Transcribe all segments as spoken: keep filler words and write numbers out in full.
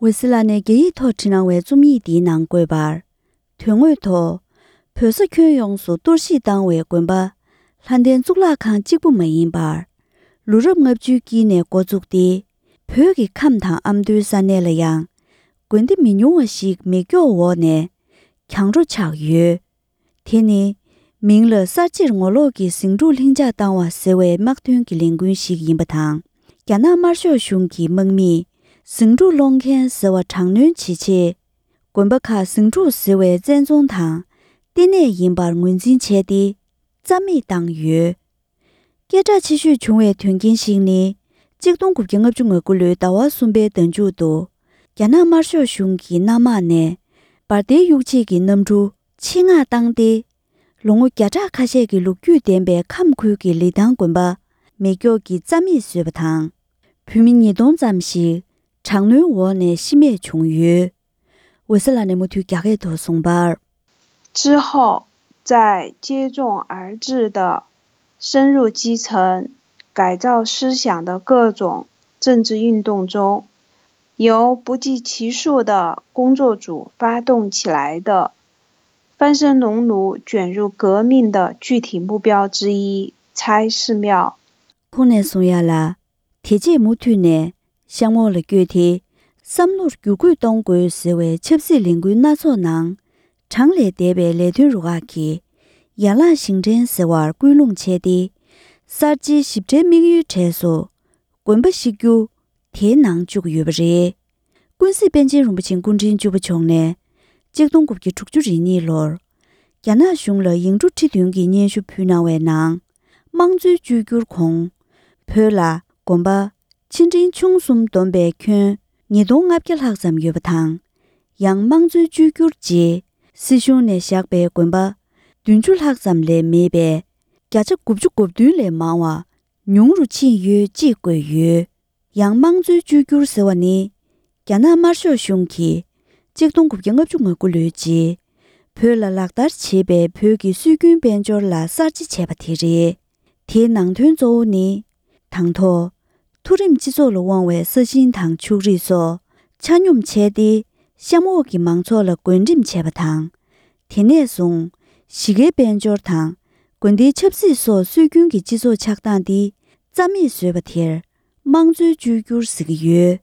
འོད་ཟེར་ལགས་ནས་རྒྱ་ཡིག་ཐོག་བྲིས་གནང་བའི་རྩོམ་ཡིག་འདིའི་ནང་བཀོད་པར། དོན་དངོས་ཐོག་བོད་ས་ཁྱོན་ཡོངས་སུ་གཏོར་བཤིག་བཏང་བའི་དགོན་པ་ལྷ་ལྡན་གཙུག་ལག་ཁང་གཅིག་པུ་མ་ཡིན་པར། ལོ་རབས་ལྔ་བཅུའི་དཀྱིལ་ནས་འགོ་བཙུགས་ཏེ། བོད་ཀྱི་ཁམས་དང་ཨ་མདོའི་ས་གནས་ལ་ཡང་དགོན་སྡེ་མི་ཉུང་བ་ཞིག་མེ་སྒྱོགས་འོག་ནས་གྱང་རོ་ཆགས་ཡོད། དེ་ནི་མིང་ལ་གསར་བརྗེར་ངོ་ལོག་གི་ཟིང་འཁྲུག་ལྷིང་འཇགས་བཏང་བ་ཟེར་བའི་དམག་དོན་གྱི་ལས་འགུལ་ཞིག་ཡིན་པ་དང་། རྒྱ་ནག་དམར་ཤོག་གཞུང་གི་དམག་མིས་ཟིང་འཁྲུག་སློང་མཁན་ཟེར་བ་དྲག་གནོན་བྱེད་ཆེད། དགོན་པ་ཁག་ཟིང་འཁྲུག་ཟེར་བའི་བཙན་རྫོང་དང་ལྟེ་གནས་ཡིན་པར་ངོས་འཛིན་བྱས་ཏེ། རྩ་མེད་བཏང་ཡོད། སྐད་གྲགས་ཆེ་ཤོས་བྱུང་བའི་དོན་རྐྱེན་ཞིག་ནི། གཅིག་སྟོང་དགུ་བརྒྱ་ལྔ་བཅུ་ང་དགུ་ལོའི་ཟླ་བ་གསུམ་པའི་ཟླ་མཇུག་ཏུ། རྒྱ་ནག་དམར་ཤོག་གཞུང་གི་གནམ་དམག་ནས་འབར་མདེལ་གཡུག་བྱེད་ཀྱི་གནམ་གྲུ་ཆེད་མངགས་བཏང་སྟེ། ལོ་ངོ་བརྒྱ་ཕྲག་ཁ་ཤས་ཀྱི་ལོ་རྒྱུས་ལྡན་པའི་ཁམས་ཁུལ་གྱི་ལི་ཐང་དགོན་པ་མེ་སྒྱོགས་ཀྱིས་རྩ་མེད་བཟོས་པ་དང་། བོད་མི་ཉིས་སྟོང་ཙམ་ཞིག་དྲག་གནོན་འོག་ནས་ཤི་རྨས་བྱུང་ཡོད། འོད་ཟེར་ལགས་ནས་མུ་མཐུད་རྒྱ་སྐད་ཐོག་གསུངས་པར། 之后，在接踵而至的深入基层、改造思想的各种政治运动中，由不计其数的工作组发动起来的翻身农奴卷入革命的具体目标之一——拆寺庙。 ཁོང་ནས་གསུང་ཡ་ལ། དེ་རྗེས་མུ་མཐུད་ནས་གཤམ་འོག་ལ་བསྐྱོད་དེ། བསམ་བློར་བསྒྱུར་བཀོད་གཏོང་དགོས་ཟེར་བའི་ཆབ་སྲིད་ལས་འགུལ་སྣ་ཚོགས་ནང་གྲངས་ལས་འདས་པའི་ལས་དོན་རུ་ཁག་གིས་ཡན་ལག་བཞེངས་འདྲེན་ཟེར་བར་སྐུལ་སློང་བྱས་ཏེ། གསར་བརྗེའི་ཞིབ་ཕྲའི་དམིགས་ཡུལ་གྲས་སུ་དགོན་པ་བཤིག་རྒྱུ་དེའི་ནང་བཅུག་ཡོད་པ་རེད། ཀུན་གཟིགས་པཎ་ཆེན་རིན་པོ་ཆེ་སྐུ་ཕྲེང་བཅུ་པ་མཆོག་ནས་གཅིག་སྟོང་དགུ་བརྒྱ་དྲུག་ཅུ་རེ་གཉིས་ལོར་རྒྱ་ནག་གཞུང་ལ་ཡིག་འབྲུ་ཁྲི་བདུན་གྱི་སྙན་ཞུ་ཕུལ་གནང་བའི་ནང་། དམངས་གཙོའི་བཅོས་བསྒྱུར་གོང་། བོད་ལ་དགོན་པ་ཆེ་འབྲིང་ཆུང་གསུམ་བསྡོམས་པའི་ཁྱོན་ཉིས་སྟོང་ལྔ་བརྒྱ་ལྷག་ཙམ་ཡོད་པ་དང་། ཡང་དམངས་གཙོའི་བཅོས་བསྒྱུར་རྗེས་སྲིད་གཞུང་ནས་བཞག་པའི་དགོན་པ་བདུན་ཅུ་ལྷག་ཙམ་ལས་མེད་པས། བརྒྱ་ཆ་དགུ་བཅུ་གོ་བདུན་ལས་མང་བ་ཉུང་རུ་ཕྱིན་ཡོད་ཅེས་བཀོད་ཡོད། ཡང་དམངས་གཙོའི་བཅོས་བསྒྱུར་ཟེར་བ་ནི། རྒྱ་ནག་དམར་ཤོག་གཞུང་གིས་གཅིག་སྟོང་དགུ་བརྒྱ་ལྔ་བཅུ་ང་དགུ་ལོའི་རྗེས་བོད་ལ་ལག་བསྟར་བྱེད་པའི་བོད་ཀྱི་སྲོལ་རྒྱུན་དཔལ་འབྱོར་ལ་གསར་བརྗེ་བྱས་པ་དེ་རེད། དེའི་ནང་དོན་གཙོ་བོ་ནི། དང་ཐོག་མཐོ་རིམ་སྤྱི་ཚོགས་ལ་དབང་བའི་ས་ཞིང་དང་ཕྱུགས་རིགས་སོགས་ཆ་སྙོམས་བྱས་ཏེ། གཤམ་འོག་གི་མང་ཚོགས་ལ་བགོ་འགྲེམས་བྱས་པ་དང་། དེ་ནས་བཟུང་། གཞིས་ཀའི་དཔལ་འབྱོར་དང་། དགོན་སྡེའི་ཆབ་སྲིད་སོགས་སྲོལ་རྒྱུན་གྱི་སྤྱི་ཚོགས་ཆགས་སྟངས་འདི་རྩ་མེད་བཟོས་པ་དེར་དམངས་གཙོའི་བཅོས་བསྒྱུར་ཟེར་གྱི་ཡོད།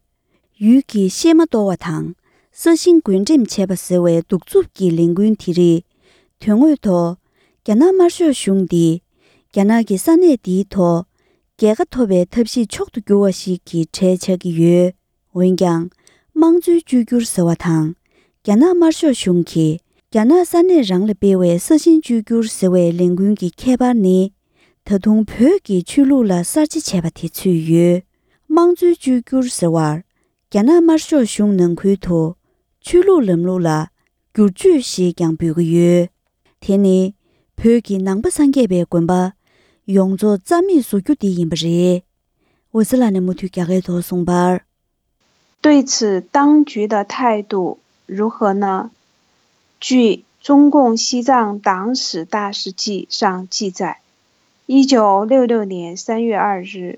ཡུལ་གྱི་གཤེད་མ་གཏོར་བ་དང་། ས་ཞིང་བགོ་འགྲེམས་བྱས་པ་ཟེར་བའི་གདུག་རྩུབ་ཀྱི་ལས་འགུལ་དེ་རིགས་དོན་དངོས་ཐོག་རྒྱ་ནག་དམར་ཤོག་གཞུང་འདིས་རྒྱ་ནག་གི་ས་གནས་འདིའི་ཐོག་རྒྱལ་ཁ་ཐོབ་པའི་ཐབས་ཤེས་མཆོག་ཏུ་གྱུར་བ་ཞིག་གི་གྲས་ཆགས་ཀྱི་ཡོད། འོན་ཀྱང་། དམངས་གཙོའི་བཅོས་བསྒྱུར་ཟེར་བ་དང་། རྒྱ་ནག་དམར་ཤོག་གཞུང་གིས་རྒྱ་ནག་ས་གནས་རང་ལ་སྤེལ་བའི་ས་ཞིང་བཅོས་བསྒྱུར་ཟེར་བའི་ལས་འགུལ་གྱི་ཁྱད་པར་ནི། ད་དུང་བོད་ཀྱི་ཆོས་ལུགས་ལ་གསར་བརྗེ་བྱས་པ་དེ་ཚུད་ཡོད། དམངས་གཙོའི་བཅོས་བསྒྱུར་ཟེར་བར། རྒྱ་ནག་དམར་ཤོག་གཞུང་ནང་ཁུལ་དུ་ཆོས་ལུགས་ལམ་ལུགས་ལ་བསྒྱུར་བཅོས་ཞེས་ཀྱང་འབོད་ཀྱི་ཡོད། དེ་ནི་བོད་ཀྱི་ནང་པ་སངས་རྒྱས་པའི་དགོན་པ་ཡོངས་རྫོགས་རྩ་མེད་བཟོ་རྒྱུ་དེ་ཡིན་པ་རེད། འོད་ཟེར་ལགས་ནས་མུ་མཐུད་རྒྱ་སྐད་ཐོག་གསུངས་པར། 对此，当局的态度如何呢？据《中共西藏党史大事记》上记载，一九六六年三月二日，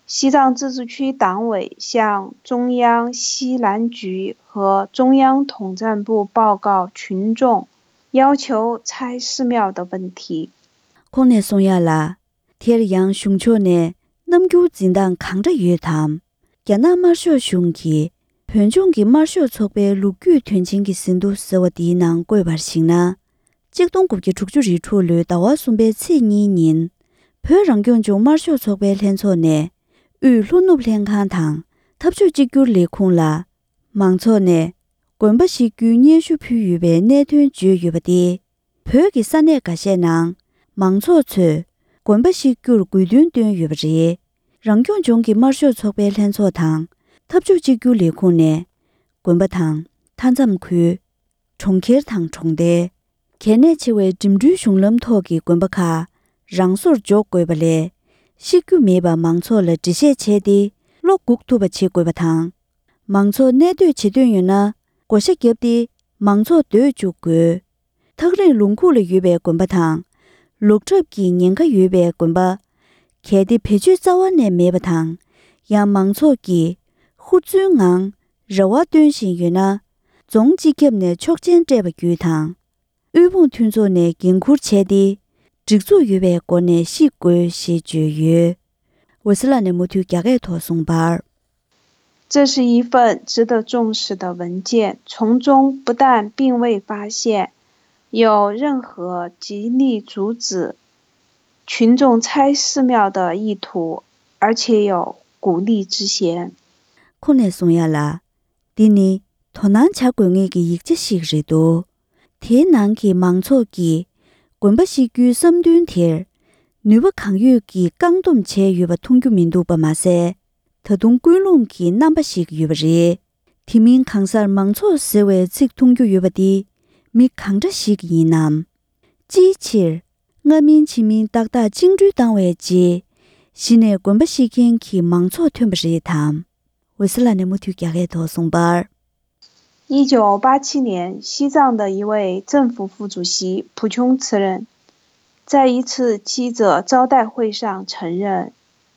西藏自治区党委向中央西南局和中央统战部报告群众，要求拆寺庙的问题。 ཁོང་ནས་གསུང་ཡ་ལ། དེར་ཡང་གཞུང་ཕྱོགས་ནས་རྣམ་འགྱུར་འཛིན་སྟངས་གང་འདྲ་ཡོད་དམ། རྒྱ་ནག་དམར་ཤོག་གཞུང་གིས་བོད་ལྗོངས་ཀྱི་དམར་ཤོག་ཚོགས་པའི་ལོ་རྒྱུས་དོན་ཆེན་གྱི་ཟིན་ཐོ་ཟེར་བ་འདིའི་ནང་བཀོད་པར་གཞིགས་ན། གཅིག་སྟོང་དགུ་བརྒྱ་དྲུག་ཅུ་རེ་དྲུག་ལོའི་ཟླ་བ་གསུམ་པའི་ཚེས་གཉིས་ཉིན། བོད་རང་སྐྱོང་ལྗོངས་དམར་ཤོག་ཚོགས་པའི་ལྷན་ཚོགས་ནས། དབུས་ལྷོ་ནུབ་ལྷན་ཁང་དང་འཐབ་ཕྱོགས་གཅིག་གྱུར་ལས་ཁུངས་ལ། མང་ཚོགས་ནས་དགོན་པ་བཤིག་རྒྱུའི་སྙན་ཞུ་ཕུལ་ཡོད་པའི་གནད་དོན་བརྗོད་ཡོད་པ་སྟེ། བོད་ཀྱི་ས་གནས་འགའ་ཤས་ནང་མང་ཚོགས་ཚོས་དགོན་པ་བཤིག་རྒྱུར་དགོས་འདུན་བཏོན་ཡོད་པ་རེད། རང་སྐྱོང་ལྗོངས་ཀྱི་དམར་ཤོག་ཚོགས་པའི་ལྷན་ཚོགས་དང་འཐབ་ཕྱོགས་གཅིག་གྱུར་ལས་ཁུངས་ནས་དགོན་པ་དང་མཐའ་མཚམས་ཁུལ། གྲོང་ཁྱེར་དང་གྲོང་རྡལ། གལ་གནད་ཆེ་བའི་འགྲིམ་འགྲུལ་གཞུང་ལམ་ཐོག་གི་དགོན་པ་ཁག་རང་སོར་འཇོག་དགོས་པ་ལས། བཤིག་རྒྱུ་མེད་པར་མང་ཚོགས་ལ་འགྲེལ་བཤད་བྱས་ཏེ་བློ་འགུག་ཐུབ་པ་བྱེད་དགོས་པ་དང་། མང་ཚོགས་གནས་སྡོད་བྱེད་འདོད་ཡོད་ན་བགོ་བཤའ་བརྒྱབ་སྟེ་མང་ཚོགས་སྡོད་བཅུག་དགོས། ཐག་རིང་ལུང་ཁུག་ལ་ཡོད་པའི་དགོན་པ་དང་། ལོག་གྲབས་ཀྱི་ཉེན་ཁ་ཡོད་པའི་དགོན་པ། གལ་ཏེ་བེད་སྤྱོད་རྩ་བ་ནས་མེད་པ་དང་། ཡང་མང་ཚོགས་ཀྱིས་ཧུར་བརྩོན་ངང་ རེ་བ་བཏོན་བཞིན་ཡོད་ན། རྫོང་སྤྱི་ཁྱབ་ནས་ཆོག་མཆན་སྤྲད་པ་བརྒྱུད་དང་། དབུལ་ཕོངས་མཐུན་ཚོགས་ནས་འགན་འཁུར་བྱས་ཏེ། སྒྲིག་འཛུགས་ཡོད་པའི་སྒོ་ནས་བཤིག་དགོས་ཞེས་བརྗོད་ཡོད། འོད་ཟེར་ལགས་ནས་མུ་མཐུད་རྒྱ་སྐད་ཐོག་གསུངས་པར། 这是一份值得重视的文件，从中不但并未发现有任何极力阻止群众拆寺庙的意图，而且有鼓励之嫌。 ཁོང་ནས་གསུང་ཡ་ལ། འདི་ནི་དོ་སྣང་བྱ་དགོས་ངེས་ཀྱི་ཡིག་ཆ་ཞིག་རེད་འདུག་དེའི་ནང་གི་མང་ཚོགས་ཀྱིས་དགོན་པ་བཤིག་རྒྱུའི་བསམ་འདུན་དེར་ནུས་པ་གང་ཡོད་ཀྱིས་བཀག་སྡོམ་བྱས་ཡོད་པ་མཐོང་རྒྱུ་མི་འདུག་པ་མ་ཟད། ད་དུང་ཀུན་སློང་གི་རྣམ་པ་ཞིག་ཡོད་པ་རེད། དེ་མིན་གང་སར་མང་ཚོགས་ཟེར་བའི་ཚིག་མཐོང་རྒྱུ་ཡོད་པ་འདི་མི་གང་འདྲ་ཞིག་ཡིན་ནམ། ཅིའི་ཕྱིར། སྔ་མིན་ཕྱི་མིན་ཏག་ཏག་བཅིངས་འགྲོལ་བཏང་བའི་རྗེས། གཞི་ནས་དགོན་པ་བཤིག་མཁན་གྱི་མང་ཚོགས་ཐོན་པ་རེད་དམ། འོད་ཟེར་ལགས་ནས་མུ་མཐུད་རྒྱ་སྐད་ཐོག་གསུངས་པར། 一九八七年，西藏的一位政府副主席蒲琼辞任，在一次记者招待会上承认，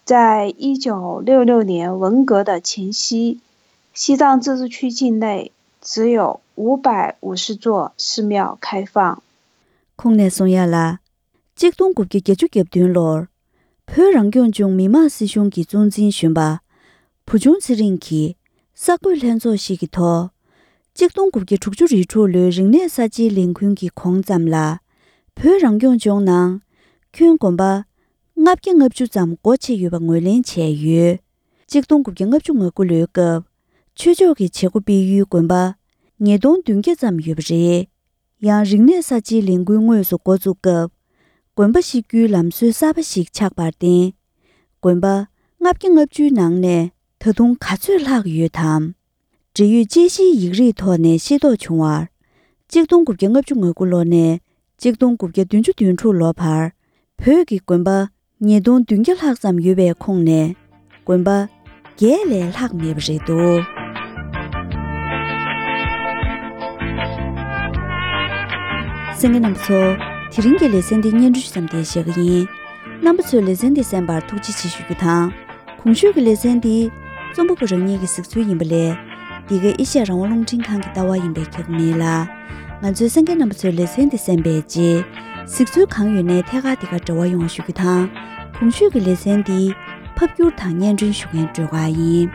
在一九六六年文革的前夕，西藏自治区境内只有五百五十座寺庙开放。 ཁོང་ནས་གསུང་ཡ་ལ། གཅིག་སྟོང་དགུ་བརྒྱ་བརྒྱད་ཅུ་གྱ་བདུན་ལོར། བོད་རང་སྐྱོང་ལྗོངས་མི་དམངས་སྲིད་གཞུང་གི་གཙོ་འཛིན་གཞོན་པ། བུ་ཆུང་ཚེ་རིང་གིས་གསར་འགོད་ལྷན་ཚོགས་ཤིག་གི་ཐོག་གཅིག་སྟོང་དགུ་བརྒྱ་དྲུག་ཅུ་རེ་དྲུག་ལོའི་རིག་གནས་གསར་བརྗེའི་ལས་འགུལ་གྱི་གོང་ཙམ་ལ། བོད་རང་སྐྱོང་ལྗོངས་ནང་། ཁྱོན་དགོན་པ་ལྔ་བརྒྱ་ལྔ་བཅུ་ཙམ་སྒོ་ཕྱེ་ཡོད་པ་ངོས་ལེན་བྱས་ཡོད། གཅིག་སྟོང་དགུ་བརྒྱ་ལྔ་བཅུ་ང་དགུ་ལོའི་སྐབས། ཆོས་ཕྱོགས་ཀྱི་བྱེད་སྒོ་སྤེལ་ཡུལ་དགོན་པ་ཉིས་སྟོང་བདུན་བརྒྱ་ཙམ་ཡོད་པ་རེད། ཡང་རིག་གནས་གསར་བརྗེའི་ལས་འགུལ་དངོས་སུ་འགོ་བཙུགས་སྐབས། དགོན་པ་བཤིག་རྒྱུའི་ལམ་སྲོལ་གསར་པ་ཞིག་ཆགས་པར་བརྟེན། དགོན་པ་ལྔ་བརྒྱ་ལྔ་བཅུའི་ནང་ནས་ད་དུང་ག་ཚོད་ལྷག་ཡོད་དམ། འབྲེལ་ཡོད་དཔྱད་གཞིའི་ཡིག་རིགས་ཐོག་ནས་ཤེས་རྟོགས་བྱུང་བར། གཅིག་སྟོང་དགུ་བརྒྱ་ལྔ་བཅུ་ང་དགུ་ལོ་ནས་གཅིག་སྟོང་དགུ་བརྒྱ་བདུན་ཅུ་དོན་དྲུག་ལོ་བར། བོད་ཀྱི་དགོན་པ་ཉིས་སྟོང་བདུན་བརྒྱ་ལྷག་ཙམ་ཡོད་པའི་ཁོངས་ནས། དགོན་པ་བརྒྱད་ལས་ལྷག་མེད་པ་རེད་འདུག་གསན་མཁན་རྣམ་པ་ཚོ། དེ་རིང་གི་ལེ་ཚན་འདི་སྙན་སྒྲོན་ཙམ་དེ་བཞག་གི་ཡིན། རྣམ་པ་ཚོས་ལེ་ཚན་འདི་གསན་པར་ཐུགས་རྗེ་ཆེ་ཞུ་རྒྱུ་དང་། གོང་ཞུས་ཀྱི་ལེ་ཚན་འདི་རྩོམ་པ་པོ་རང་ཉིད་ཀྱི་གཟིགས་ཚུལ་ཡིན་པ་ལས། འདི་ག་ཨེ་ཤ་ཡ་རང་དབང་རླུང་འཕྲིན་ཁང་གི་ལྟ་བ་ཡིན་པས་ཁྱབ་མེད་ལ། ང་ཚོའི་གསན་མཁན་རྣམ་པ་ཚོས་ལེ་ཚན་འདི་གསན་པའི་རྗེས། གཟིགས་ཚུལ་གང་ཡོད་ནས་ཐད་ཀར་འདི་གར་འབྲེལ་བ་ཡོང་བ་ཞུ་རྒྱུ་དང་། གོང་ཞུས་ཀྱི་ལེ་ཚན་འདི་ཕབ་སྒྱུར་དང་སྙན་སྒྲོན་ཞུ་མཁན་སྒྲོལ་དཀར་ཡིན།